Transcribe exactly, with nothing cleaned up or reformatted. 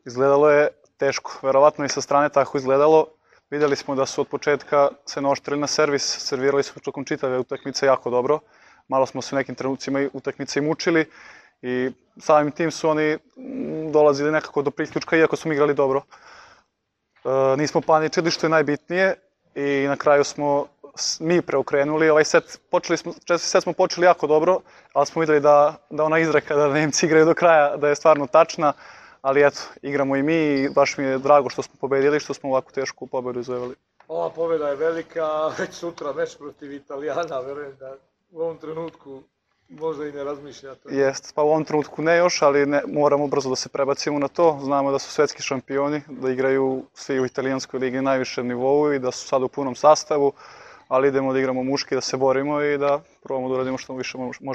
Izgledalo je teško, verovatno i sa strane tako izgledalo. Videli smo da su od početka se naoštrili na servis, servirali su tokom čitave utakmice jako dobro. Malo smo se u nekim trenucima utakmice i mučili i samim tim su oni dolazili nekako do priključka, iako smo igrali dobro. E, nismo paničili, što je najbitnije, i na kraju smo mi preokrenuli. Ovaj set, počeli smo, četvrti set smo počeli jako dobro, ali smo videli da, da ona izreka da Nemci igraju do kraja, da je stvarno tačna. Ali eto, igramo i mi i baš mi je drago što smo pobedili, što smo ovako tešku pobedu izvojevali. Ova pobeda je velika, već sutra meč protiv Italijana, verujem da u ovom trenutku možda i ne razmišljate. Jest, pa u ovom trenutku ne još, ali ne, moramo brzo da se prebacimo na to. Znamo da su svetski šampioni, da igraju svi u italijanskoj ligi na najvišem nivou i da su sada u punom sastavu, ali idemo da igramo muški, da se borimo i da probamo da uradimo što više možemo.